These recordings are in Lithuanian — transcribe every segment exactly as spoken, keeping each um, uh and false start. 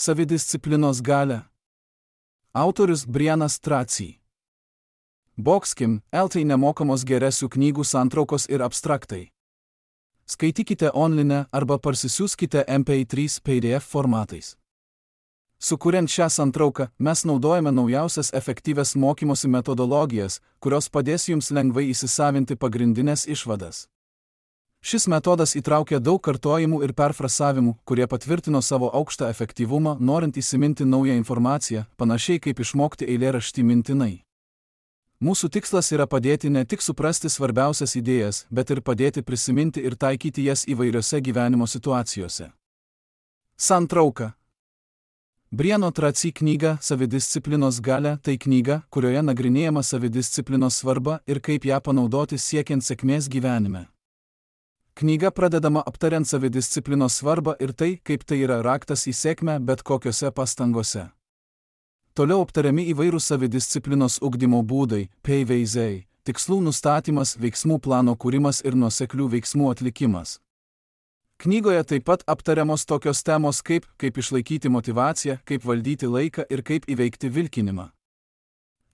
Savidisciplinos galia. Autorius Brianas Tracy. Boxkim, L T nemokamos geresių knygų santraukos ir abstraktai. Skaitykite online arba parsisiųskite M P trys P D F formatais. Sukuriant šią santrauką, mes naudojame naujausias efektyvias mokymosi metodologijas, kurios padės jums lengvai įsisavinti pagrindinės išvadas. Šis metodas įtraukia daug kartojimų ir perfrasavimų, kurie patvirtino savo aukštą efektyvumą, norint įsiminti naują informaciją, panašiai kaip išmokti eilėraštį mintinai. Mūsų tikslas yra padėti ne tik suprasti svarbiausias idėjas, bet ir padėti prisiminti ir taikyti jas įvairiose gyvenimo situacijose. Santrauka. Briano Tracy knyga Savidisciplinos galia tai knyga, kurioje nagrinėjama savidisciplinos svarba ir kaip ją panaudoti siekiant sėkmės gyvenime. Knyga pradedama aptariant savidisciplinos svarbą ir tai, kaip tai yra raktas į sėkmę bet kokiose pastangose. Toliau aptariami įvairūs savidisciplinos ugdymo būdai, pavyzdžiai, tikslų nustatymas, veiksmų plano kūrimas ir nuoseklių veiksmų atlikimas. Knygoje taip pat aptariamos tokios temos kaip, kaip išlaikyti motyvaciją, kaip valdyti laiką ir kaip įveikti vilkinimą.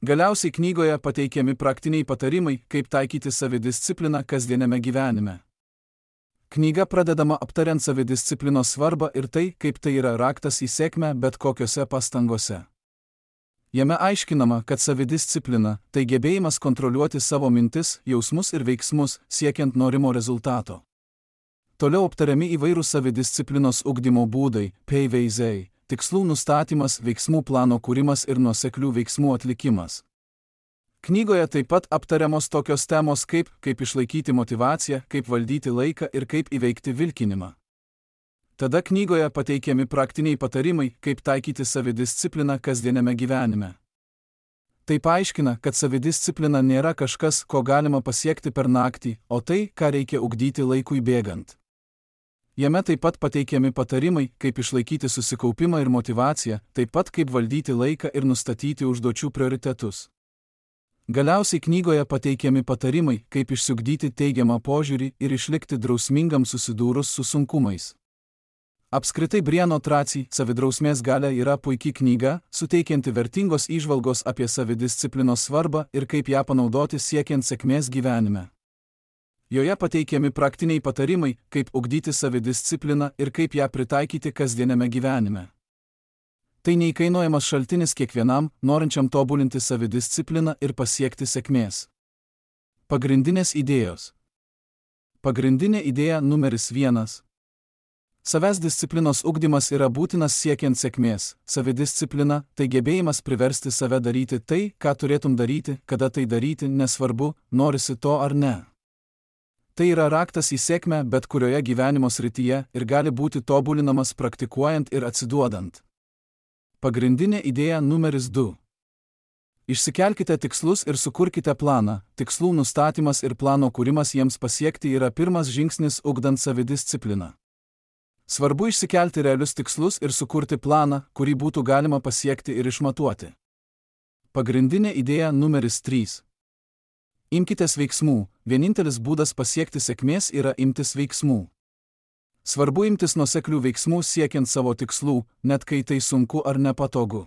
Galiausiai knygoje pateikiami praktiniai patarimai, kaip taikyti savidiscipliną kasdieniame gyvenime. Knyga pradedama aptariant savidisciplinos svarbą ir tai, kaip tai yra raktas į sėkmę bet kokiose pastangose. Jame aiškinama, kad savidisciplina – tai gebėjimas kontroliuoti savo mintis, jausmus ir veiksmus, siekiant norimo rezultato. Toliau aptariami įvairūs savidisciplinos ugdymo būdai, pavyzdžiai, tikslų nustatymas, veiksmų plano kūrimas ir nuoseklių veiksmų atlikimas. Knygoje taip pat aptariamos tokios temos kaip, kaip išlaikyti motyvaciją, kaip valdyti laiką ir kaip įveikti vilkinimą. Tada knygoje pateikiami praktiniai patarimai, kaip taikyti savidiscipliną kasdieniame gyvenime. Tai paaiškina, kad savidisciplina nėra kažkas, ko galima pasiekti per naktį, o tai, ką reikia ugdyti laikui bėgant. Jame taip pat pateikiami patarimai, kaip išlaikyti susikaupimą ir motyvaciją, taip pat kaip valdyti laiką ir nustatyti užduočių prioritetus. Galiausiai knygoje pateikiami patarimai, kaip išsiugdyti teigiamą požiūrį ir išlikti drausmingam susidūrus su sunkumais. Apskritai Briano Tracy Savidrausmės galia yra puikia knyga, suteikianti vertingos įžvalgos apie savidisciplinos svarbą ir kaip ją panaudoti siekiant sėkmės gyvenime. Joje pateikiami praktiniai patarimai, kaip ugdyti savidiscipliną ir kaip ją pritaikyti kasdieniame gyvenime. Tai neįkainojamas šaltinis kiekvienam, norinčiam tobulinti savidiscipliną ir pasiekti sėkmės. Pagrindinės idėjos. Pagrindinė idėja numeris vienas. Savęs disciplinos ugdymas yra būtinas siekiant sėkmės. Savidisciplina – tai gebėjimas priversti save daryti tai, ką turėtum daryti, kada tai daryti, nesvarbu, norisi to ar ne. Tai yra raktas į sėkmę bet kurioje gyvenimo srityje ir gali būti tobulinamas praktikuojant ir atsiduodant. Pagrindinė idėja numeris du. Išsikelkite tikslus ir sukurkite planą. Tikslų nustatymas ir plano kūrimas jiems pasiekti yra pirmas žingsnis ugdant savidiscipliną. Svarbu išsikelti realius tikslus ir sukurti planą, kurį būtų galima pasiekti ir išmatuoti. Pagrindinė idėja numeris trys. Imkitės veiksmų. Vienintelis būdas pasiekti sėkmės yra imtis veiksmų. Svarbu imtis nuoseklių veiksmų siekiant savo tikslų, net kai tai sunku ar nepatogu.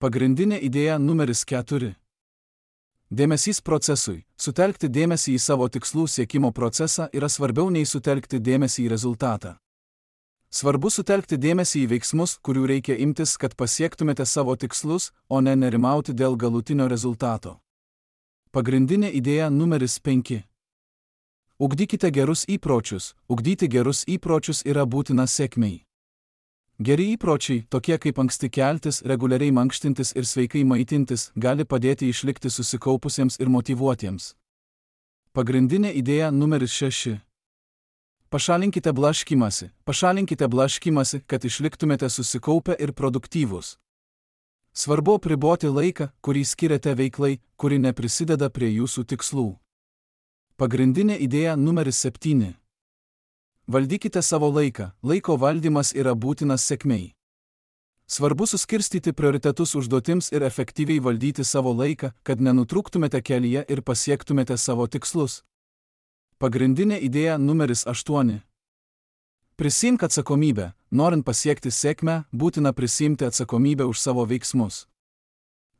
Pagrindinė idėja numeris keturi. Dėmesys procesui. Sutelkti dėmesį į savo tikslų siekimo procesą yra svarbiau nei sutelkti dėmesį į rezultatą. Svarbu sutelkti dėmesį į veiksmus, kurių reikia imtis, kad pasiektumėte savo tikslus, o ne nerimauti dėl galutinio rezultato. Pagrindinė idėja numeris penki. Ugdykite gerus įpročius. Ugdyti gerus įpročius yra būtina sėkmei. Geri įpročiai, tokie kaip anksti keltis, reguliariai mankštintis ir sveikai maitintis, gali padėti išlikti susikaupusiems ir motyvuotiems. Pagrindinė idėja numeris šeši. Pašalinkite blaškymąsi. Pašalinkite blaškymąsi, kad išliktumėte susikaupę ir produktyvūs. Svarbu apriboti laiką, kurį skiriate veiklai, kuri neprisideda prie jūsų tikslų. Pagrindinė idėja numeris septyni. Valdykite savo laiką. Laiko valdymas yra būtinas sėkmei. Svarbu suskirstyti prioritetus užduotims ir efektyviai valdyti savo laiką, kad nenutrūktumėte kelyje ir pasiektumėte savo tikslus. Pagrindinė idėja numeris aštuoni. Prisimk atsakomybę. Norint pasiekti sėkmę, būtina prisimti atsakomybę už savo veiksmus.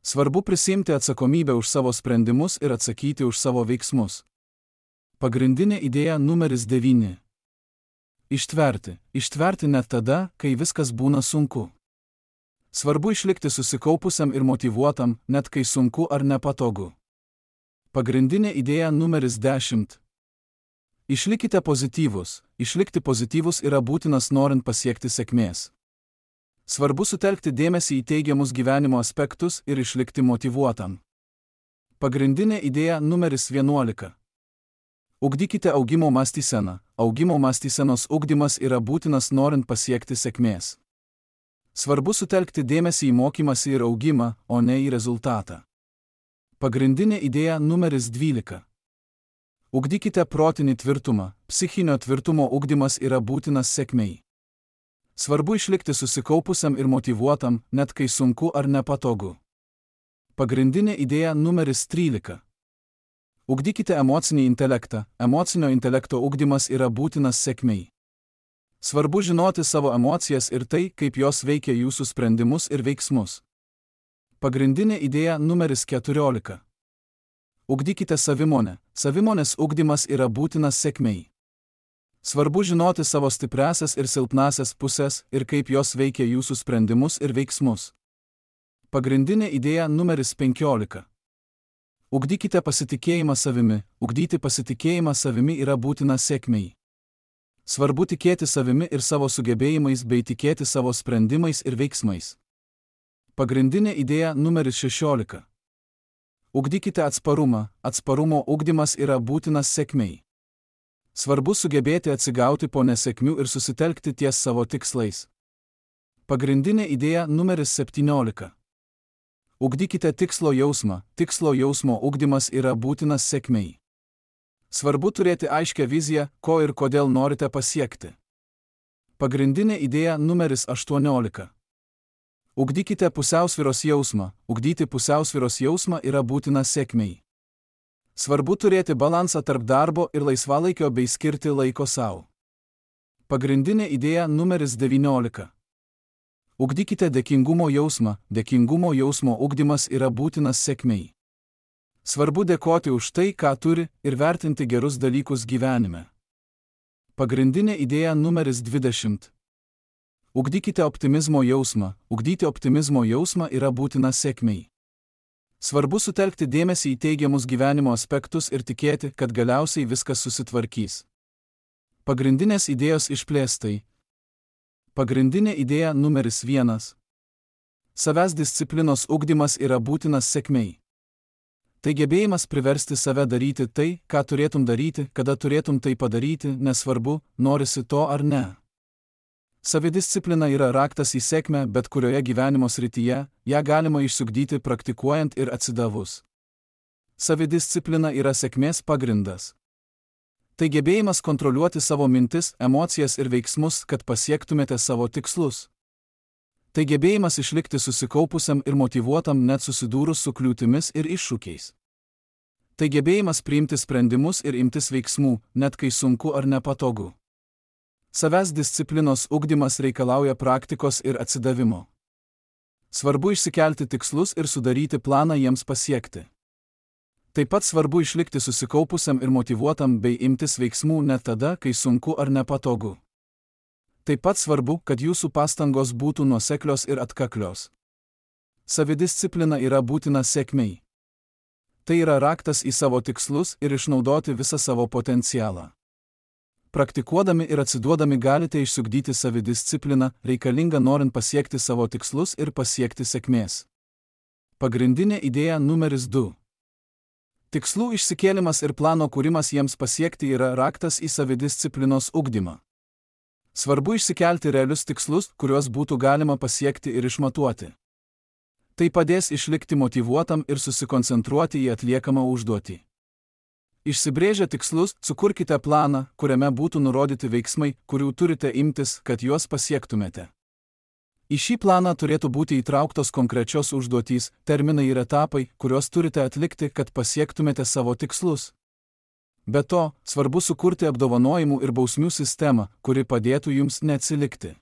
Svarbu prisimti atsakomybę už savo sprendimus ir atsakyti už savo veiksmus. Pagrindinė idėja numeris devyni. Ištverti. Ištverti net tada, kai viskas būna sunku. Svarbu išlikti susikaupusiam ir motyvuotam, net kai sunku ar nepatogu. Pagrindinė idėja numeris dešimt. Išlikite pozityvus. Išlikti pozityvus yra būtinas norint pasiekti sėkmės. Svarbu sutelkti dėmesį į teigiamus gyvenimo aspektus ir išlikti motyvuotam. Pagrindinė idėja numeris vienuolika. Ugdykite augimo mąstyseną. Augimo mąstysenos ugdymas yra būtinas norint pasiekti sėkmės. Svarbu sutelkti dėmesį į mokymąsi ir augimą, o ne į rezultatą. Pagrindinė idėja numeris dvylika. Ugdykite protinį tvirtumą. Psichinio tvirtumo ugdymas yra būtinas sėkmei. Svarbu išlikti susikaupusiam ir motyvuotam, net kai sunku ar nepatogu. Pagrindinė idėja numeris trylika. Ugdykite emocinį intelektą. Emocinio intelekto ugdymas yra būtinas sėkmei. Svarbu žinoti savo emocijas ir tai, kaip jos veikia jūsų sprendimus ir veiksmus. Pagrindinė idėja numeris keturiolika. Ugdykite savimonę. Savimonės ugdymas yra būtinas sėkmei. Svarbu žinoti savo stipriąsias ir silpnąsias pusės ir kaip jos veikia jūsų sprendimus ir veiksmus. Pagrindinė idėja numeris penkiolika. Ugdykite pasitikėjimą savimi. Ugdyti pasitikėjimą savimi yra būtina sėkmei. Svarbu tikėti savimi ir savo sugebėjimais bei tikėti savo sprendimais ir veiksmais. Pagrindinė idėja numeris šešiolika. Ugdykite atsparumą. Atsparumo ugdymas yra būtinas sėkmei. Svarbu sugebėti atsigauti po nesėkmių ir susitelkti ties savo tikslais. Pagrindinė idėja numeris septyniolika. Ugdykite tikslo jausmą. Tikslo jausmo ugdymas yra būtinas sėkmei. Svarbu turėti aiškią viziją, ko ir kodėl norite pasiekti. Pagrindinė idėja numeris aštuoniolika. Ugdykite pusiausvyros jausmą. Ugdyti pusiausvyros jausmą yra būtina sėkmei. Svarbu turėti balansą tarp darbo ir laisvalaikio bei skirti laiko savo. Pagrindinė idėja numeris devyniolika. Ugdykite dėkingumo jausmą. Dėkingumo jausmo ugdymas yra būtinas sėkmei. Svarbu dėkoti už tai, ką turi, ir vertinti gerus dalykus gyvenime. Pagrindinė idėja numeris dvidešimt. Ugdykite optimizmo jausmą. Ugdyti optimizmo jausmą yra būtina sėkmei. Svarbu sutelkti dėmesį į teigiamus gyvenimo aspektus ir tikėti, kad galiausiai viskas susitvarkys. Pagrindinės idėjos išplėstai. Pagrindinė idėja numeris vienas. Savęs disciplinos ugdymas yra būtinas sėkmei. Tai gebėjimas priversti save daryti tai, ką turėtum daryti, kada turėtum tai padaryti, nesvarbu, norisi to ar ne. Savidisciplina yra raktas į sėkmę bet kurioje gyvenimo srityje, ją galima išsiugdyti praktikuojant ir atsidavus. Savidisciplina yra sėkmės pagrindas. Tai gebėjimas kontroliuoti savo mintis, emocijas ir veiksmus, kad pasiektumėte savo tikslus. Tai gebėjimas išlikti susikaupusiam ir motyvuotam net susidūrus su kliūtimis ir iššūkiais. Tai gebėjimas priimti sprendimus ir imtis veiksmų, net kai sunku ar nepatogu. Savęs disciplinos ugdymas reikalauja praktikos ir atsidavimo. Svarbu išsikelti tikslus ir sudaryti planą jiems pasiekti. Taip pat svarbu išlikti susikaupusiam ir motyvuotam bei imtis veiksmų net tada, kai sunku ar nepatogu. Taip pat svarbu, kad jūsų pastangos būtų nuoseklios ir atkaklios. Savidisciplina yra būtina sėkmei. Tai yra raktas į savo tikslus ir išnaudoti visą savo potencialą. Praktikuodami ir atsiduodami galite išsiugdyti savidiscipliną, reikalingą norint pasiekti savo tikslus ir pasiekti sėkmės. Pagrindinė idėja numeris du. Tikslų išsikėlimas ir plano kūrimas jiems pasiekti yra raktas į savidisciplinos ugdymą. Svarbu išsikelti realius tikslus, kuriuos būtų galima pasiekti ir išmatuoti. Tai padės išlikti motyvuotam ir susikoncentruoti į atliekamą užduotį. Išsibrėžę tikslus, sukurkite planą, kuriame būtų nurodyti veiksmai, kurių turite imtis, kad juos pasiektumėte. Į šį planą turėtų būti įtrauktos konkrečios užduotys, terminai ir etapai, kuriuos turite atlikti, kad pasiektumėte savo tikslus. Be to, svarbu sukurti apdovanojimų ir bausmių sistemą, kuri padėtų jums neatsilikti.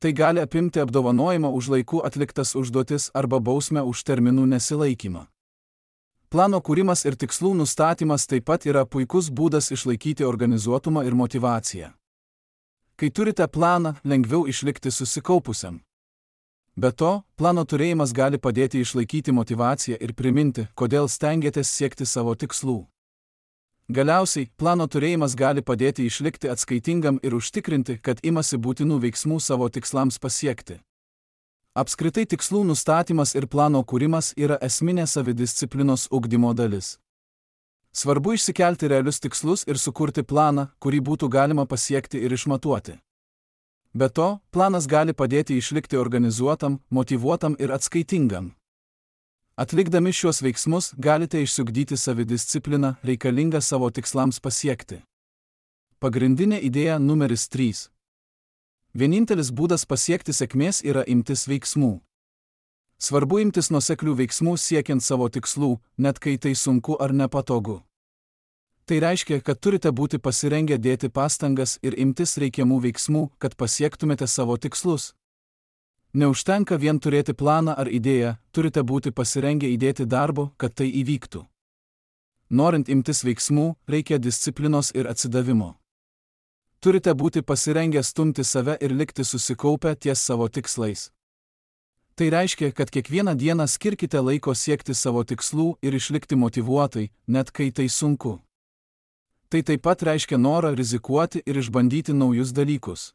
Tai gali apimti apdovanojimą už laiku atliktas užduotis arba bausmę už terminų nesilaikymą. Plano kūrimas ir tikslų nustatymas taip pat yra puikus būdas išlaikyti organizuotumą ir motyvaciją. Kai turite planą, lengviau išlikti susikaupusiam. Be to, plano turėjimas gali padėti išlaikyti motyvaciją ir priminti, kodėl stengiatės siekti savo tikslų. Galiausiai, plano turėjimas gali padėti išlikti atskaitingam ir užtikrinti, kad imasi būtinų veiksmų savo tikslams pasiekti. Apskritai tikslų nustatymas ir plano kūrimas yra esminė savidisciplinos ugdymo dalis. Svarbu išsikelti realius tikslus ir sukurti planą, kurį būtų galima pasiekti ir išmatuoti. Be to, planas gali padėti išlikti organizuotam, motyvuotam ir atskaitingam. Atlikdami šiuos veiksmus galite išsiugdyti savidiscipliną reikalingą savo tikslams pasiekti. Pagrindinė idėja numeris trys. Vienintelis būdas pasiekti sėkmės yra imtis veiksmų. Svarbu imtis nuoseklių veiksmų siekiant savo tikslų, net kai tai sunku ar nepatogu. Tai reiškia, kad turite būti pasirengę dėti pastangas ir imtis reikiamų veiksmų, kad pasiektumėte savo tikslus. Neužtenka vien turėti planą ar idėją, turite būti pasirengę įdėti darbo, kad tai įvyktų. Norint imtis veiksmų, reikia disciplinos ir atsidavimo. Turite būti pasirengę stumti save ir likti susikaupę ties savo tikslais. Tai reiškia, kad kiekvieną dieną skirkite laiko siekti savo tikslų ir išlikti motyvuotai, net kai tai sunku. Tai taip pat reiškia norą rizikuoti ir išbandyti naujus dalykus.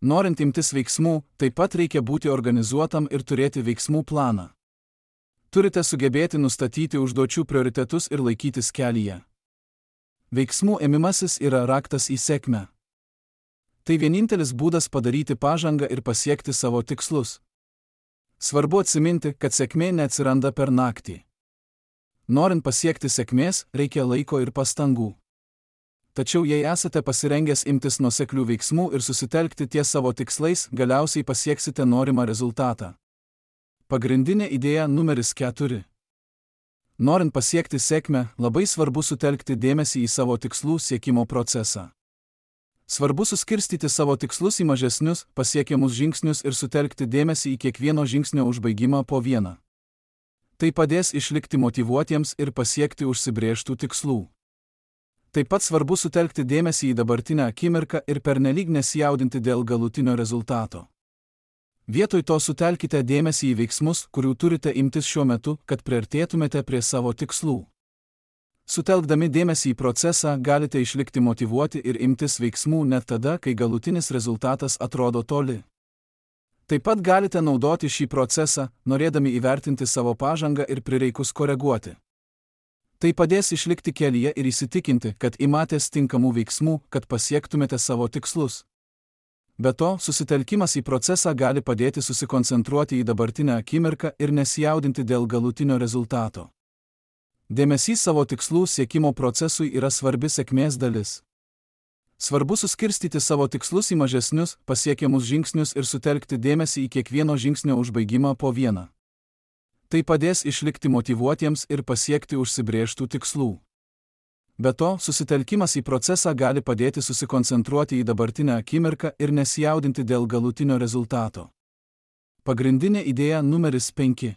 Norint imtis veiksmų, taip pat reikia būti organizuotam ir turėti veiksmų planą. Turite sugebėti nustatyti užduočių prioritetus ir laikytis kelyje. Veiksmų ėmimasis yra raktas į sėkmę. Tai vienintelis būdas padaryti pažangą ir pasiekti savo tikslus. Svarbu atsiminti, kad sėkmė neatsiranda per naktį. Norint pasiekti sėkmės, reikia laiko ir pastangų. Tačiau jei esate pasirengęs imtis nuoseklių veiksmų ir susitelkti ties savo tikslais, galiausiai pasieksite norimą rezultatą. Pagrindinė idėja numeris keturi. Norint pasiekti sėkmę, labai svarbu sutelkti dėmesį į savo tikslų siekimo procesą. Svarbu suskirstyti savo tikslus į mažesnius, pasiekiamus žingsnius ir sutelkti dėmesį į kiekvieno žingsnio užbaigimą po vieną. Tai padės išlikti motyvuotiems ir pasiekti užsibrėžtų tikslų. Taip pat svarbu sutelkti dėmesį į dabartinę akimirką ir pernelyg nesijaudinti dėl galutinio rezultato. Vietoj to sutelkite dėmesį į veiksmus, kurių turite imtis šiuo metu, kad priartėtumėte prie savo tikslų. Sutelkdami dėmesį į procesą galite išlikti motyvuoti ir imtis veiksmų net tada, kai galutinis rezultatas atrodo toli. Taip pat galite naudoti šį procesą, norėdami įvertinti savo pažangą ir prireikus koreguoti. Tai padės išlikti kelyje ir įsitikinti, kad imatės tinkamų veiksmų, kad pasiektumėte savo tikslus. Be to, susitelkimas į procesą gali padėti susikoncentruoti į dabartinę akimirką ir nesijaudinti dėl galutinio rezultato. Dėmesys savo tikslų siekimo procesui yra svarbi sėkmės dalis. Svarbu suskirstyti savo tikslus į mažesnius, pasiekiamus žingsnius ir sutelkti dėmesį į kiekvieno žingsnio užbaigimą po vieną. Tai padės išlikti motyvuotiems ir pasiekti užsibrėžtų tikslų. Be to, susitelkimas į procesą gali padėti susikoncentruoti į dabartinę akimirką ir nesijaudinti dėl galutinio rezultato. Pagrindinė idėja numeris penki.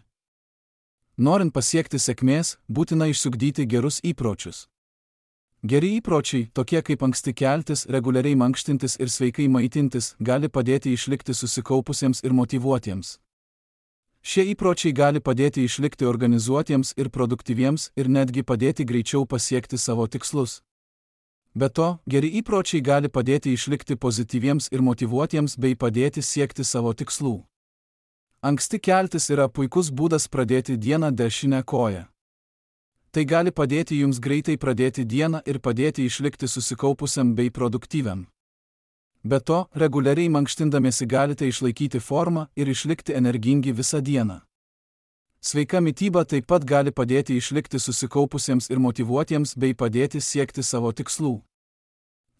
Norint pasiekti sėkmės, būtina išsiugdyti gerus įpročius. Geri įpročiai, tokie kaip anksti keltis, reguliariai mankštintis ir sveikai maitintis, gali padėti išlikti susikaupusiems ir motyvuotiems. Šie įpročiai gali padėti išlikti organizuotiems ir produktyviems ir netgi padėti greičiau pasiekti savo tikslus. Be to, geri įpročiai gali padėti išlikti pozityviems ir motyvuotiems bei padėti siekti savo tikslų. Anksti keltis yra puikus būdas pradėti dieną dešinę koją. Tai gali padėti jums greitai pradėti dieną ir padėti išlikti susikaupusiam bei produktyviam. Be to, reguliariai mankštindamiesi galite išlaikyti formą ir išlikti energingi visą dieną. Sveika mityba taip pat gali padėti išlikti susikaupusiems ir motyvuotiems bei padėti siekti savo tikslų.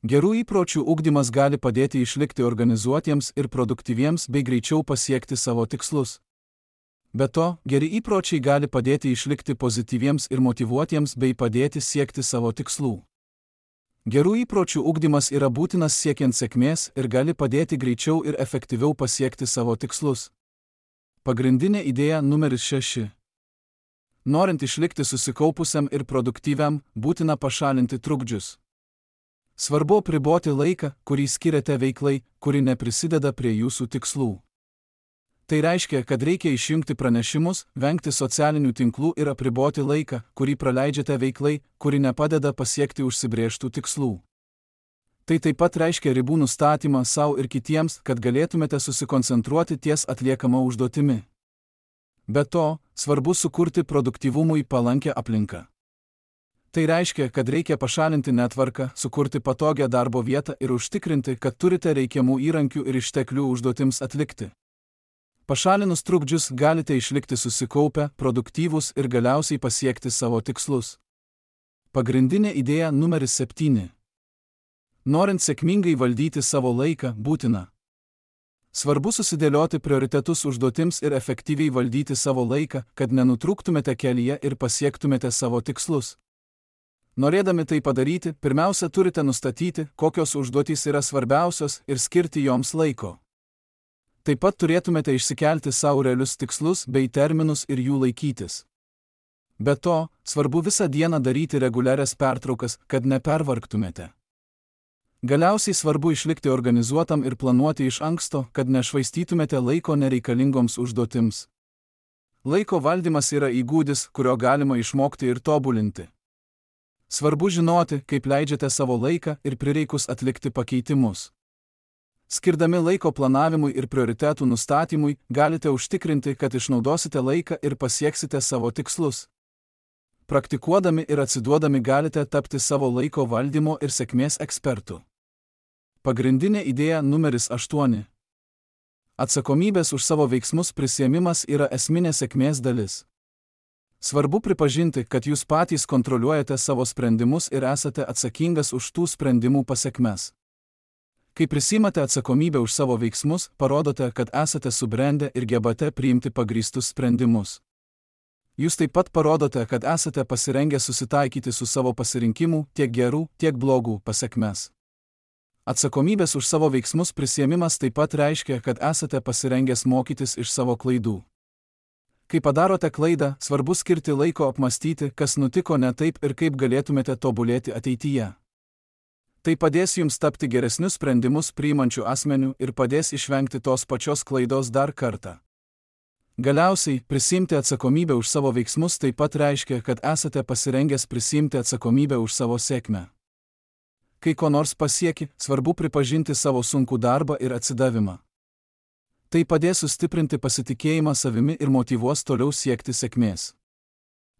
Gerų įpročių ugdymas gali padėti išlikti organizuotiems ir produktyviems bei greičiau pasiekti savo tikslus. Be to, geri įpročiai gali padėti išlikti pozityviems ir motyvuotiems bei padėti siekti savo tikslų. Gerų įpročių ugdymas yra būtinas siekiant sėkmės ir gali padėti greičiau ir efektyviau pasiekti savo tikslus. Pagrindinė idėja numeris šeši. Norint išlikti susikaupusiam ir produktyviam, būtina pašalinti trukdžius. Svarbu apriboti laiką, kurį skiriate veiklai, kuri neprisideda prie jūsų tikslų. Tai reiškia, kad reikia išjungti pranešimus, vengti socialinių tinklų ir apriboti laiką, kurį praleidžiate veiklai, kuri nepadeda pasiekti užsibrėžtų tikslų. Tai taip pat reiškia ribų nustatymą savo ir kitiems, kad galėtumėte susikoncentruoti ties atliekama užduotimi. Be to, svarbu sukurti produktyvumui palankę aplinką. Tai reiškia, kad reikia pašalinti netvarką, sukurti patogią darbo vietą ir užtikrinti, kad turite reikiamų įrankių ir išteklių užduotims atlikti. Pašalinus trukdžius galite išlikti susikaupę, produktyvūs ir galiausiai pasiekti savo tikslus. Pagrindinė idėja numeris septyni. Norint sėkmingai valdyti savo laiką, būtina. Svarbu susidėlioti prioritetus užduotims ir efektyviai valdyti savo laiką, kad nenutrūktumėte kelyje ir pasiektumėte savo tikslus. Norėdami tai padaryti, pirmiausia turite nustatyti, kokios užduotys yra svarbiausios ir skirti joms laiko. Taip pat turėtumėte išsikelti savo realius tikslus bei terminus ir jų laikytis. Be to, svarbu visą dieną daryti reguliarias pertraukas, kad nepervargtumėte. Galiausiai svarbu išlikti organizuotam ir planuoti iš anksto, kad nešvaistytumėte laiko nereikalingoms užduotims. Laiko valdymas yra įgūdis, kurio galima išmokti ir tobulinti. Svarbu žinoti, kaip leidžiate savo laiką ir prireikus atlikti pakeitimus. Skirdami laiko planavimui ir prioritetų nustatymui, galite užtikrinti, kad išnaudosite laiką ir pasieksite savo tikslus. Praktikuodami ir atsiduodami galite tapti savo laiko valdymo ir sėkmės ekspertu. Pagrindinė idėja numeris aštuoni. Atsakomybės už savo veiksmus prisiėmimas yra esminė sėkmės dalis. Svarbu pripažinti, kad jūs patys kontroliuojate savo sprendimus ir esate atsakingas už tų sprendimų pasekmes. Kai prisimate atsakomybę už savo veiksmus, parodote, kad esate subrendę ir gebate priimti pagrįstus sprendimus. Jūs taip pat parodote, kad esate pasirengę susitaikyti su savo pasirinkimų, tiek gerų, tiek blogų pasekmes. Atsakomybės už savo veiksmus prisiėmimas taip pat reiškia, kad esate pasirengęs mokytis iš savo klaidų. Kai padarote klaidą, svarbu skirti laiko apmastyti, kas nutiko ne taip ir kaip galėtumėte tobulėti ateityje. Tai padės jums tapti geresnius sprendimus priimančių asmenių ir padės išvengti tos pačios klaidos dar kartą. Galiausiai, prisiimti atsakomybę už savo veiksmus taip pat reiškia, kad esate pasirengęs prisiimti atsakomybę už savo sėkmę. Kai ko nors pasieki, svarbu pripažinti savo sunkų darbą ir atsidavimą. Tai padės sustiprinti pasitikėjimą savimi ir motyvuos toliau siekti sėkmės.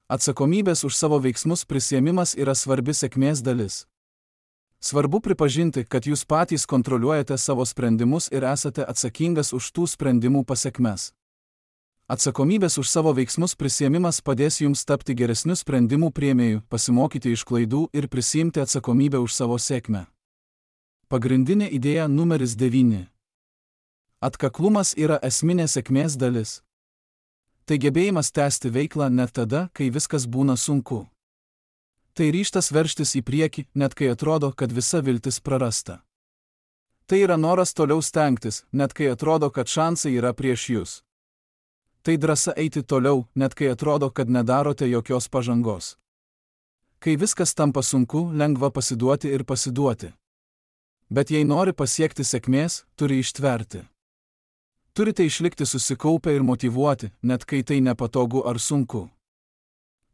Atsakomybės už savo veiksmus prisiėmimas yra svarbi sėkmės dalis. Svarbu pripažinti, kad jūs patys kontroliuojate savo sprendimus ir esate atsakingas už tų sprendimų pasekmes. Atsakomybės už savo veiksmus prisiėmimas padės jums tapti geresniu sprendimų priėmėju, pasimokyti iš klaidų ir prisiimti atsakomybę už savo sėkmę. Pagrindinė idėja numeris devyni. Atkaklumas yra esminė sėkmės dalis. Tai gebėjimas tęsti veiklą net tada, kai viskas būna sunku. Tai ryžtas veržtis į priekį, net kai atrodo, kad visa viltis prarasta. Tai yra noras toliau stengtis, net kai atrodo, kad šansai yra prieš jūs. Tai drąsa eiti toliau, net kai atrodo, kad nedarote jokios pažangos. Kai viskas tampa sunku, lengva pasiduoti ir pasiduoti. Bet jei nori pasiekti sėkmės, turi ištverti. Turite išlikti susikaupę ir motyvuoti, net kai tai nepatogu ar sunku.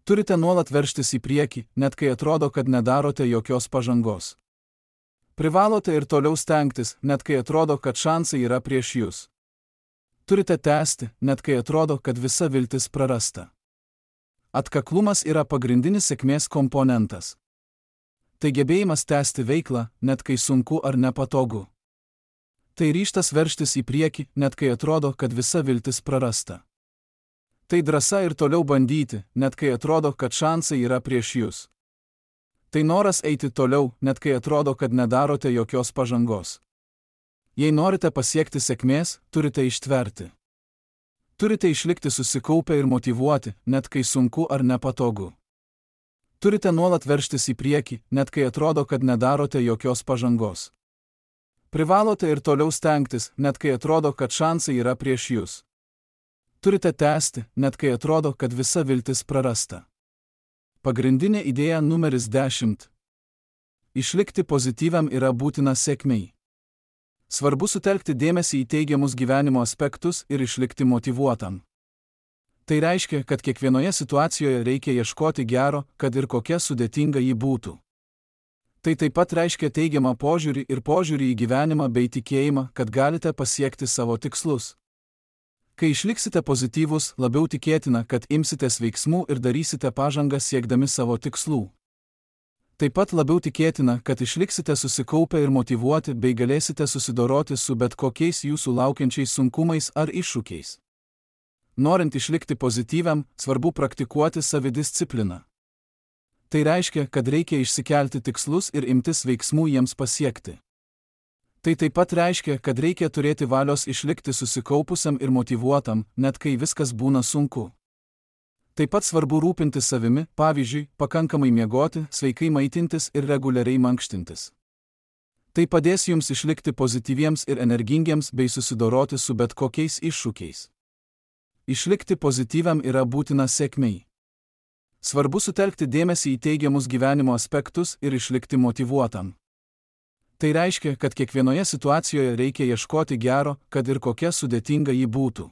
Turite nuolat veržtis į priekį, net kai atrodo, kad nedarote jokios pažangos. Privalote ir toliau stengtis, net kai atrodo, kad šansai yra prieš jūs. Turite tęsti, net kai atrodo, kad visa viltis prarasta. Atkaklumas yra pagrindinis sėkmės komponentas. Tai gebėjimas tęsti veiklą, net kai sunku ar nepatogu. Tai ryžtas veržtis į priekį, net kai atrodo, kad visa viltis prarasta. Tai drąsa ir toliau bandyti, net kai atrodo, kad šansai yra prieš jūs. Tai noras eiti toliau, net kai atrodo, kad nedarote jokios pažangos. Jei norite pasiekti sėkmės, turite ištverti. Turite išlikti susikaupę ir motyvuoti, net kai sunku ar nepatogu. Turite nuolat veržtis į priekį, net kai atrodo, kad nedarote jokios pažangos. Privalote ir toliau stengtis, net kai atrodo, kad šansai yra prieš jūs. Turite tęsti, net kai atrodo, kad visa viltis prarasta. Pagrindinė idėja numeris dešimt. Išlikti pozityviam yra būtina sėkmei. Svarbu sutelkti dėmesį į teigiamus gyvenimo aspektus ir išlikti motyvuotam. Tai reiškia, kad kiekvienoje situacijoje reikia ieškoti gero, kad ir kokia sudėtinga ji būtų. Tai taip pat reiškia teigiamą požiūrį ir požiūrį į gyvenimą bei tikėjimą, kad galite pasiekti savo tikslus. Kai išliksite pozityvus, labiau tikėtina, kad imsitės veiksmų ir darysite pažangą siekdami savo tikslų. Taip pat labiau tikėtina, kad išliksite susikaupę ir motyvuoti bei galėsite susidoroti su bet kokiais jūsų laukiančiais sunkumais ar iššūkiais. Norint išlikti pozityviam, svarbu praktikuoti savidiscipliną. Tai reiškia, kad reikia išsikelti tikslus ir imtis veiksmų jiems pasiekti. Tai taip pat reiškia, kad reikia turėti valios išlikti susikaupusiam ir motyvuotam, net kai viskas būna sunku. Taip pat svarbu rūpintis savimi, pavyzdžiui, pakankamai miegoti, sveikai maitintis ir reguliariai mankštintis. Tai padės jums išlikti pozityviems ir energingiems bei susidoroti su bet kokiais iššūkiais. Išlikti pozityviam yra būtina sėkmei. Svarbu sutelkti dėmesį į teigiamus gyvenimo aspektus ir išlikti motyvuotam. Tai reiškia, kad kiekvienoje situacijoje reikia ieškoti gero, kad ir kokia sudėtinga ji būtų.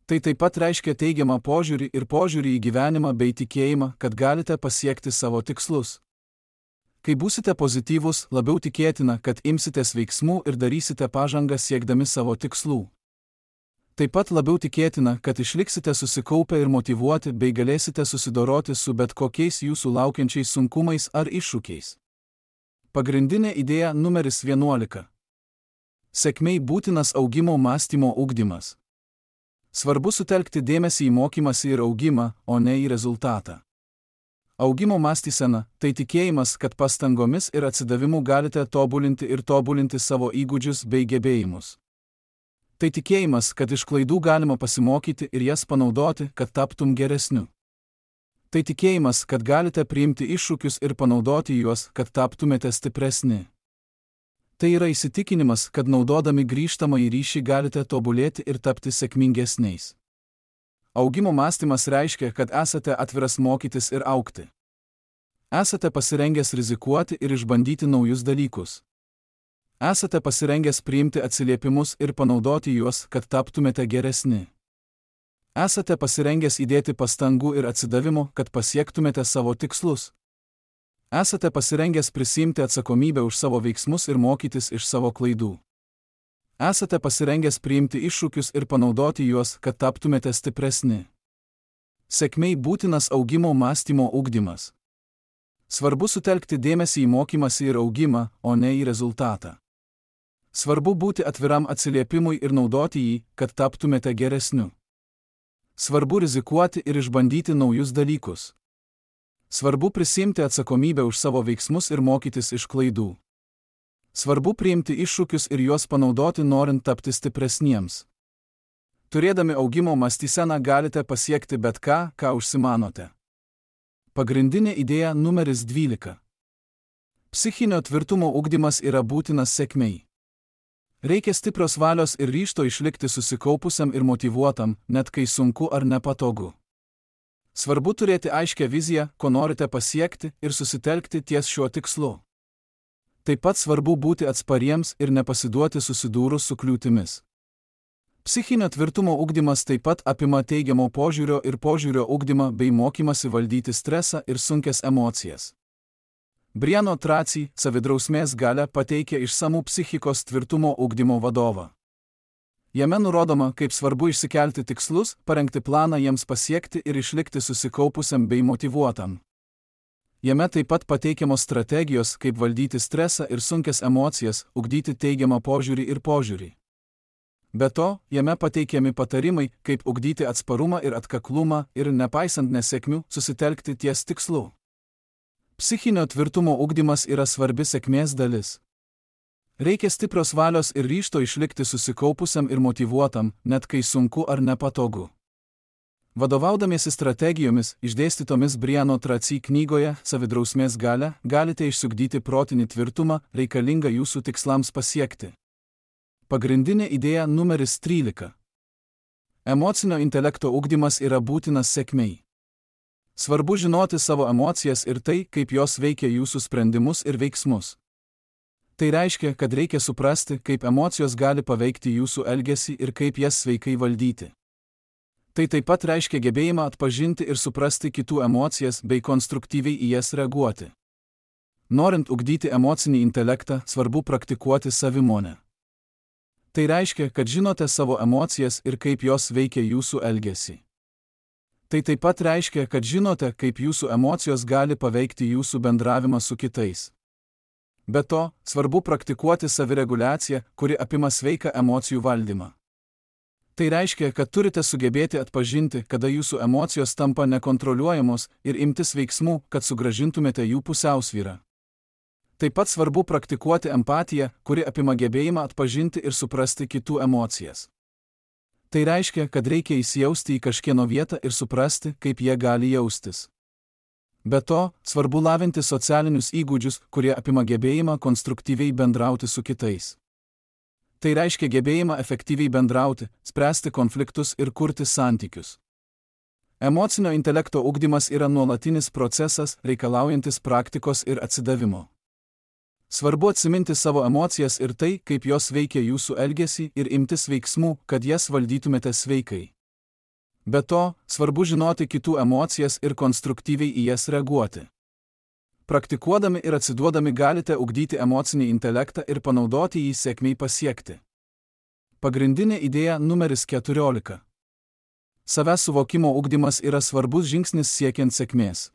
Tai taip pat reiškia teigiamą požiūrį ir požiūrį į gyvenimą bei tikėjimą, kad galite pasiekti savo tikslus. Kai būsite pozityvus, labiau tikėtina, kad imsitės veiksmų ir darysite pažangą siekdami savo tikslų. Taip pat labiau tikėtina, kad išliksite susikaupę ir motyvuoti bei galėsite susidoroti su bet kokiais jūsų laukiančiais sunkumais ar iššūkiais. Pagrindinė idėja numeris vienuolika. Sėkmei būtinas augimo mąstymo ugdymas. Svarbu sutelkti dėmesį į mokymąsi ir augimą, o ne į rezultatą. Augimo mąstysena – tai tikėjimas, kad pastangomis ir atsidavimu galite tobulinti ir tobulinti savo įgūdžius bei gebėjimus. Tai tikėjimas, kad iš klaidų galima pasimokyti ir jas panaudoti, kad taptum geresniu. Tai tikėjimas, kad galite priimti iššūkius ir panaudoti juos, kad taptumėte stipresni. Tai yra įsitikinimas, kad naudodami grįžtamąjį ryšį galite tobulėti ir tapti sėkmingesniais. Augimo mąstymas reiškia, kad esate atviras mokytis ir augti. Esate pasirengęs rizikuoti ir išbandyti naujus dalykus. Esate pasirengęs priimti atsiliepimus ir panaudoti juos, kad taptumėte geresni. Esate pasirengęs įdėti pastangų ir atsidavimo, kad pasiektumėte savo tikslus. Esate pasirengęs prisiimti atsakomybę už savo veiksmus ir mokytis iš savo klaidų. Esate pasirengęs priimti iššūkius ir panaudoti juos, kad taptumėte stipresni. Sėkmei būtinas augimo mąstymo ugdymas. Svarbu sutelkti dėmesį į mokymąsi ir augimą, o ne į rezultatą. Svarbu būti atviram atsiliepimui ir naudoti jį, kad taptumėte geresniu. Svarbu rizikuoti ir išbandyti naujus dalykus. Svarbu prisiimti atsakomybę už savo veiksmus ir mokytis iš klaidų. Svarbu priimti iššūkius ir juos panaudoti norint tapti stipresniems. Turėdami augimo mąstyseną galite pasiekti bet ką, ką užsimanote. Pagrindinė idėja numeris dvylika. Psichinio tvirtumo ugdymas yra būtinas sėkmei. Reikia stiprios valios ir ryžto išlikti susikaupusiam ir motyvuotam, net kai sunku ar nepatogu. Svarbu turėti aiškią viziją, ko norite pasiekti ir susitelkti ties šiuo tikslu. Taip pat svarbu būti atspariems ir nepasiduoti susidūrus su kliūtimis. Psichinio tvirtumo ugdymas taip pat apima teigiamo požiūrio ir požiūrio ugdymą bei mokymasi valdyti stresą ir sunkias emocijas. Briano Tracy, savidrausmės galią pateikia išsamų psichikos tvirtumo ugdymo vadovą. Jame nurodoma, kaip svarbu išsikelti tikslus, parengti planą jiems pasiekti ir išlikti susikaupusiam bei motyvuotam. Jame taip pat pateikiamos strategijos, kaip valdyti stresą ir sunkias emocijas, ugdyti teigiamą požiūrį ir požiūrį. Be to, jame pateikiami patarimai, kaip ugdyti atsparumą ir atkaklumą ir, nepaisant nesėkmių, susitelkti ties tikslu. Psichinio tvirtumo ugdymas yra svarbi sėkmės dalis. Reikia stiprios valios ir ryžto išlikti susikaupusiam ir motyvuotam, net kai sunku ar nepatogu. Vadovaudamiesi strategijomis, išdėstytomis Briano Tracy knygoje Savidrausmės galia, galite išsiugdyti protinį tvirtumą, reikalingą jūsų tikslams pasiekti. Pagrindinė idėja numeris trylika. Emocinio intelekto ugdymas yra būtinas sėkmei. Svarbu žinoti savo emocijas ir tai, kaip jos veikia jūsų sprendimus ir veiksmus. Tai reiškia, kad reikia suprasti, kaip emocijos gali paveikti jūsų elgesį ir kaip jas sveikai valdyti. Tai taip pat reiškia gebėjimą atpažinti ir suprasti kitų emocijas bei konstruktyviai į jas reaguoti. Norint ugdyti emocinį intelektą, svarbu praktikuoti savimonę. Tai reiškia, kad žinote savo emocijas ir kaip jos veikia jūsų elgesį. Tai taip pat reiškia, kad žinote, kaip jūsų emocijos gali paveikti jūsų bendravimą su kitais. Be to, svarbu praktikuoti savireguliaciją, kuri apima sveiką emocijų valdymą. Tai reiškia, kad turite sugebėti atpažinti, kada jūsų emocijos tampa nekontroliuojamos ir imtis veiksmų, kad sugrąžintumėte jų pusiausvyrą. Taip pat svarbu praktikuoti empatiją, kuri apima gebėjimą atpažinti ir suprasti kitų emocijas. Tai reiškia, kad reikia įsijausti į kažkieno vietą ir suprasti, kaip jie gali jaustis. Be to, svarbu lavinti socialinius įgūdžius, kurie apima gebėjimą konstruktyviai bendrauti su kitais. Tai reiškia gebėjimą efektyviai bendrauti, spręsti konfliktus ir kurti santykius. Emocinio intelekto ugdymas yra nuolatinis procesas, reikalaujantis praktikos ir atsidavimo. Svarbu atsiminti savo emocijas ir tai, kaip jos veikia jūsų elgesį ir imtis veiksmų, kad jas valdytumėte sveikai. Be to, svarbu žinoti kitų emocijas ir konstruktyviai į jas reaguoti. Praktikuodami ir atsiduodami galite ugdyti emocinį intelektą ir panaudoti jį sėkmiai pasiekti. Pagrindinė idėja numeris keturiolika. Savęs suvokimo ugdymas yra svarbus žingsnis siekiant sėkmės.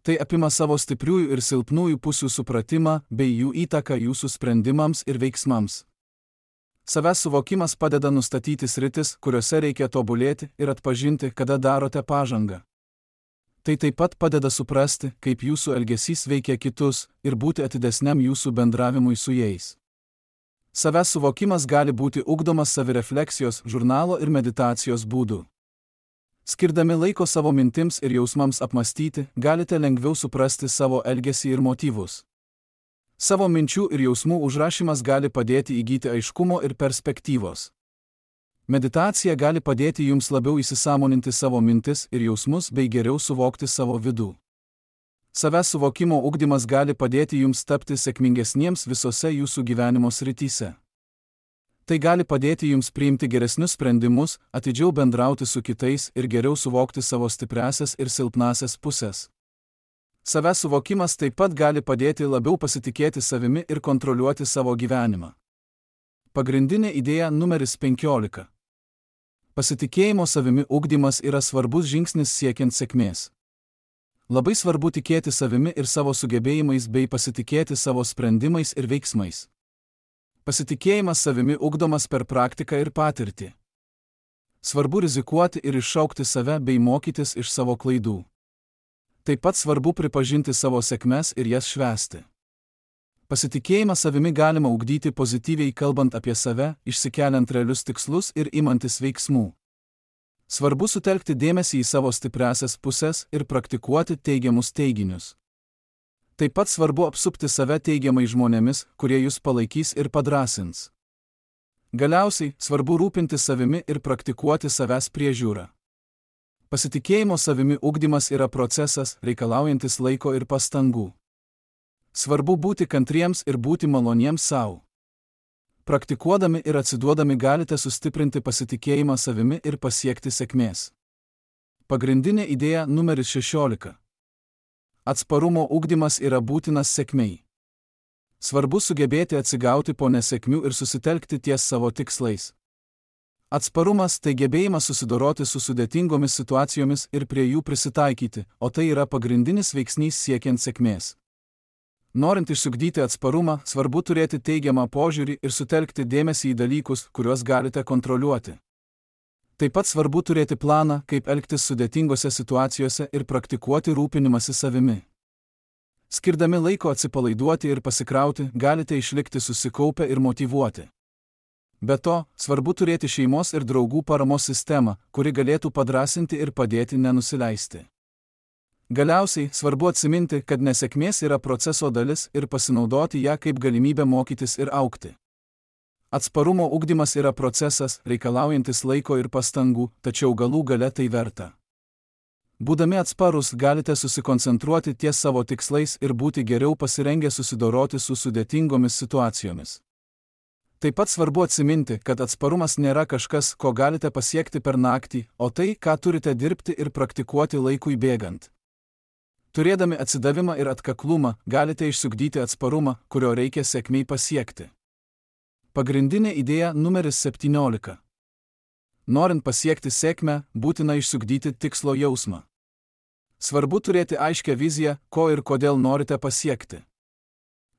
Tai apima savo stipriųjų ir silpnųjų pusių supratimą bei jų įtaką jūsų sprendimams ir veiksmams. Savęs suvokimas padeda nustatyti sritis, kuriuose reikia tobulėti ir atpažinti, kada darote pažangą. Tai taip pat padeda suprasti, kaip jūsų elgesys veikia kitus ir būti atidesniam jūsų bendravimui su jais. Savęs suvokimas gali būti ugdomas savirefleksijos, žurnalo ir meditacijos būdu. Skirdami laiko savo mintims ir jausmams apmastyti, galite lengviau suprasti savo elgesį ir motyvus. Savo minčių ir jausmų užrašymas gali padėti įgyti aiškumo ir perspektyvos. Meditacija gali padėti jums labiau įsisąmoninti savo mintis ir jausmus bei geriau suvokti savo vidų. Savęs suvokimo ugdymas gali padėti jums tapti sėkmingesniems visose jūsų gyvenimo srityse. Tai gali padėti jums priimti geresnius sprendimus, atidžiau bendrauti su kitais ir geriau suvokti savo stipriąsias ir silpnąsias pusės. Savęs suvokimas taip pat gali padėti labiau pasitikėti savimi ir kontroliuoti savo gyvenimą. Pagrindinė idėja numeris penkiolika. Pasitikėjimo savimi ugdymas yra svarbus žingsnis siekiant sėkmės. Labai svarbu tikėti savimi ir savo sugebėjimais bei pasitikėti savo sprendimais ir veiksmais. Pasitikėjimas savimi ugdomas per praktiką ir patirtį. Svarbu rizikuoti ir iššaukti save bei mokytis iš savo klaidų. Taip pat svarbu pripažinti savo sėkmes ir jas švęsti. Pasitikėjimą savimi galima ugdyti pozityviai kalbant apie save, išsikeliant realius tikslus ir imantis veiksmų. Svarbu sutelkti dėmesį į savo stipriąsias pusės ir praktikuoti teigiamus teiginius. Taip pat svarbu apsupti save teigiamai žmonėmis, kurie jūs palaikys ir padrąsins. Galiausiai, svarbu rūpintis savimi ir praktikuoti savęs priežiūrą. Pasitikėjimo savimi ugdymas yra procesas, reikalaujantis laiko ir pastangų. Svarbu būti kantriems ir būti maloniems savo. Praktikuodami ir atsiduodami galite sustiprinti pasitikėjimą savimi ir pasiekti sėkmės. Pagrindinė idėja numeris šešiolika. Atsparumo ugdymas yra būtinas sėkmei. Svarbu sugebėti atsigauti po nesėkmių ir susitelkti ties savo tikslais. Atsparumas tai gebėjimas susidoroti su sudėtingomis situacijomis ir prie jų prisitaikyti, o tai yra pagrindinis veiksnys siekiant sėkmės. Norint išsiugdyti atsparumą, svarbu turėti teigiamą požiūrį ir sutelkti dėmesį į dalykus, kuriuos galite kontroliuoti. Taip pat svarbu turėti planą, kaip elgtis sudėtingose situacijose ir praktikuoti rūpinimąsi savimi. Skirdami laiko atsipalaiduoti ir pasikrauti, galite išlikti susikaupę ir motyvuoti. Be to, svarbu turėti šeimos ir draugų paramos sistemą, kuri galėtų padrasinti ir padėti nenusileisti. Galiausiai, svarbu atsiminti, kad nesėkmės yra proceso dalis ir pasinaudoti ją kaip galimybę mokytis ir augti. Atsparumo ugdymas yra procesas, reikalaujantis laiko ir pastangų, tačiau galų gale tai verta. Būdami atsparus, galite susikoncentruoti ties savo tikslais ir būti geriau pasirengę susidoroti su sudėtingomis situacijomis. Taip pat svarbu atsiminti, kad atsparumas nėra kažkas, ko galite pasiekti per naktį, o tai, ką turite dirbti ir praktikuoti laikui bėgant. Turėdami atsidavimą ir atkaklumą, galite išsiugdyti atsparumą, kurio reikia sėkmei pasiekti. Pagrindinė idėja numeris septyniolika. Norint pasiekti sėkmę, būtina išsiugdyti tikslo jausmą. Svarbu turėti aiškią viziją, ko ir kodėl norite pasiekti.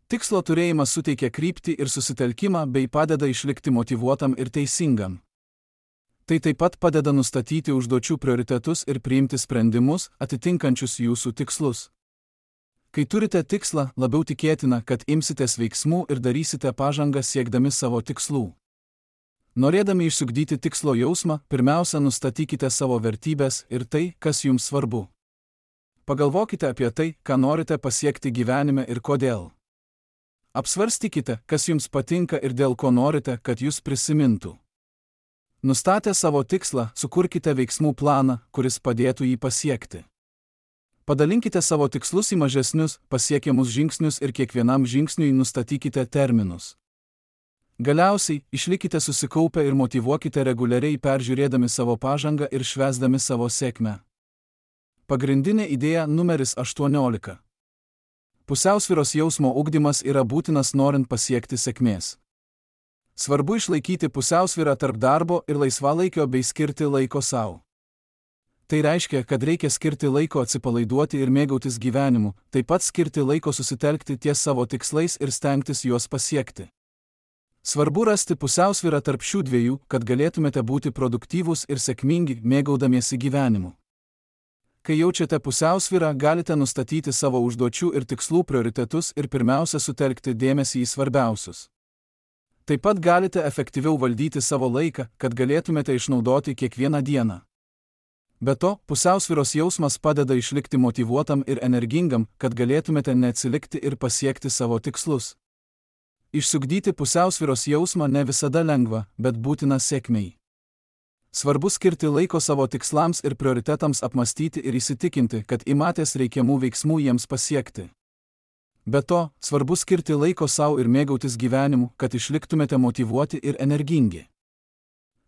Tikslo turėjimas suteikia kryptį ir susitelkimą bei padeda išlikti motyvuotam ir teisingam. Tai taip pat padeda nustatyti užduočių prioritetus ir priimti sprendimus, atitinkančius jūsų tikslus. Kai turite tikslą, labiau tikėtina, kad imsitės veiksmų ir darysite pažangą siekdami savo tikslų. Norėdami išsiugdyti tikslo jausmą, pirmiausia nustatykite savo vertybės ir tai, kas jums svarbu. Pagalvokite apie tai, ką norite pasiekti gyvenime ir kodėl. Apsvarstykite, kas jums patinka ir dėl ko norite, kad jūs prisimintų. Nustatę savo tikslą, sukurkite veiksmų planą, kuris padėtų jį pasiekti. Padalinkite savo tikslus į mažesnius, pasiekiamus žingsnius ir kiekvienam žingsniui nustatykite terminus. Galiausiai, išlikite susikaupę ir motyvuokite reguliariai peržiūrėdami savo pažangą ir švęsdami savo sėkmę. Pagrindinė idėja numeris aštuoniolika. Pusiausvyros jausmo ugdymas yra būtinas norint pasiekti sėkmės. Svarbu išlaikyti pusiausvyrą tarp darbo ir laisvalaikio bei skirti laiko sau. Tai reiškia, kad reikia skirti laiko atsipalaiduoti ir mėgautis gyvenimu, taip pat skirti laiko susitelkti ties savo tikslais ir stengtis juos pasiekti. Svarbu rasti pusiausvyrą tarp šių dviejų, kad galėtumėte būti produktyvūs ir sėkmingi, mėgaudamiesi gyvenimu. Kai jaučiate pusiausvyrą, galite nustatyti savo užduočių ir tikslų prioritetus ir pirmiausia sutelkti dėmesį į svarbiausius. Taip pat galite efektyviau valdyti savo laiką, kad galėtumėte išnaudoti kiekvieną dieną. Be to, pusiausvyros jausmas padeda išlikti motyvuotam ir energingam, kad galėtumėte neatsilikti ir pasiekti savo tikslus. Išsiugdyti pusiausvyros jausmą ne visada lengva, bet būtina sėkmei. Svarbu skirti laiko savo tikslams ir prioritetams apmastyti ir įsitikinti, kad imatės reikiamų veiksmų jiems pasiekti. Be to, svarbu skirti laiko sau ir mėgautis gyvenimu, kad išliktumėte motyvuoti ir energingi.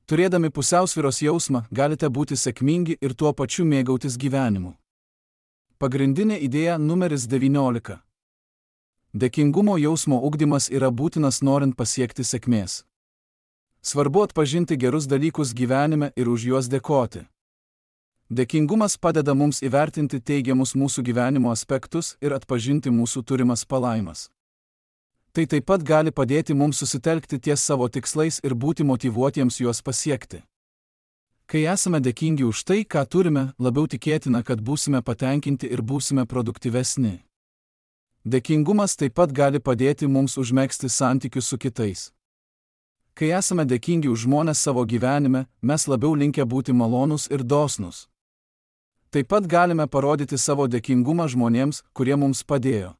Turėdami pusiausvyros jausmą, galite būti sėkmingi ir tuo pačiu mėgautis gyvenimu. Pagrindinė idėja numeris devyniolika. Dėkingumo jausmo ugdymas yra būtinas norint pasiekti sėkmės. Svarbu atpažinti gerus dalykus gyvenime ir už juos dėkoti. Dėkingumas padeda mums įvertinti teigiamus mūsų gyvenimo aspektus ir atpažinti mūsų turimas palaimas. Tai taip pat gali padėti mums susitelkti ties savo tikslais ir būti motyvuotiems juos pasiekti. Kai esame dėkingi už tai, ką turime, labiau tikėtina, kad būsime patenkinti ir būsime produktyvesni. Dėkingumas taip pat gali padėti mums užmegzti santykius su kitais. Kai esame dėkingi už žmones savo gyvenime, mes labiau linkę būti malonūs ir dosnūs. Taip pat galime parodyti savo dėkingumą žmonėms, kurie mums padėjo.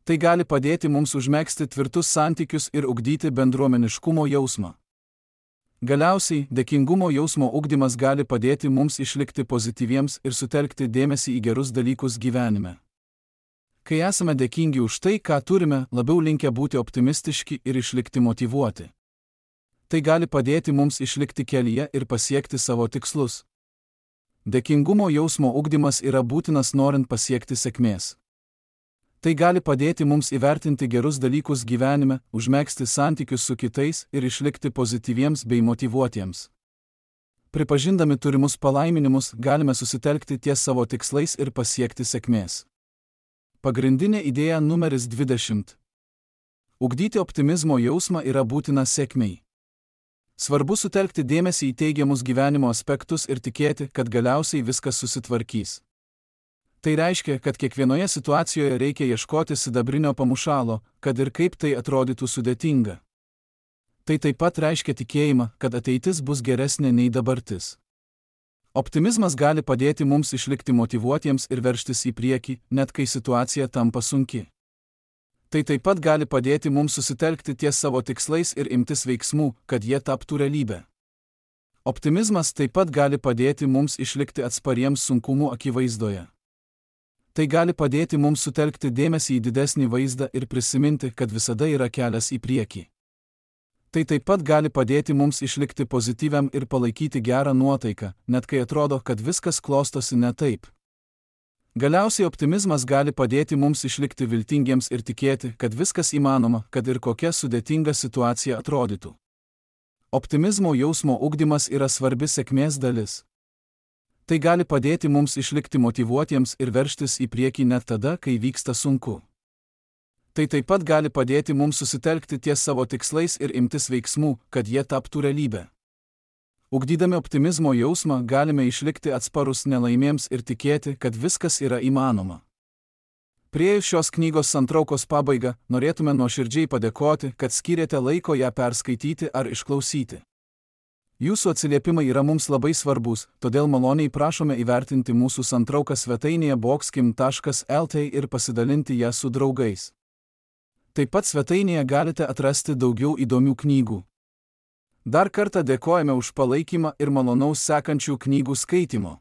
Tai gali padėti mums užmegzti tvirtus santykius ir ugdyti bendruomeniškumo jausmą. Galiausiai, dėkingumo jausmo ugdymas gali padėti mums išlikti pozityviems ir sutelkti dėmesį į gerus dalykus gyvenime. Kai esame dėkingi už tai, ką turime, labiau linkę būti optimistiški ir išlikti motyvuoti. Tai gali padėti mums išlikti kelyje ir pasiekti savo tikslus. Dėkingumo jausmo ugdymas yra būtinas norint pasiekti sėkmės. Tai gali padėti mums įvertinti gerus dalykus gyvenime, užmegzti santykius su kitais ir išlikti pozityviems bei motyvuotiems. Pripažindami turimus palaiminimus, galime susitelkti ties savo tikslais ir pasiekti sėkmės. Pagrindinė idėja numeris dvidešimt. Ugdyti optimizmo jausmą yra būtina sėkmei. Svarbu sutelkti dėmesį į teigiamus gyvenimo aspektus ir tikėti, kad galiausiai viskas susitvarkys. Tai reiškia, kad kiekvienoje situacijoje reikia ieškoti sidabrinio pamušalo, kad ir kaip tai atrodytų sudėtinga. Tai taip pat reiškia tikėjimą, kad ateitis bus geresnė nei dabartis. Optimizmas gali padėti mums išlikti motyvuotiems ir veržtis į priekį, net kai situacija tampa sunki. Tai taip pat gali padėti mums susitelkti ties savo tikslais ir imtis veiksmų, kad jie taptų realybę. Optimizmas taip pat gali padėti mums išlikti atspariems sunkumų akivaizdoje. Tai gali padėti mums sutelkti dėmesį į didesnį vaizdą ir prisiminti, kad visada yra kelias į priekį. Tai taip pat gali padėti mums išlikti pozityviam ir palaikyti gerą nuotaiką, net kai atrodo, kad viskas klostosi ne taip. Galiausiai optimizmas gali padėti mums išlikti viltingiems ir tikėti, kad viskas įmanoma, kad ir kokia sudėtinga situacija atrodytų. Optimizmo jausmo ugdymas yra svarbi sėkmės dalis. Tai gali padėti mums išlikti motyvuotiems ir veržtis į priekį net tada, kai vyksta sunku. Tai taip pat gali padėti mums susitelkti ties savo tikslais ir imtis veiksmų, kad jie taptų realybę. Ugdydami optimizmo jausmą galime išlikti atsparus nelaimėms ir tikėti, kad viskas yra įmanoma. Priėjus šios knygos santraukos pabaigą, norėtume nuoširdžiai padėkoti, kad skyrėte laiko ją perskaityti ar išklausyti. Jūsų atsiliepimai yra mums labai svarbus, todėl maloniai prašome įvertinti mūsų santrauką svetainėje boxkim taškas lt ir pasidalinti ją su draugais. Taip pat svetainėje galite atrasti daugiau įdomių knygų. Dar kartą dėkojame už palaikymą ir malonaus sekančių knygų skaitimo.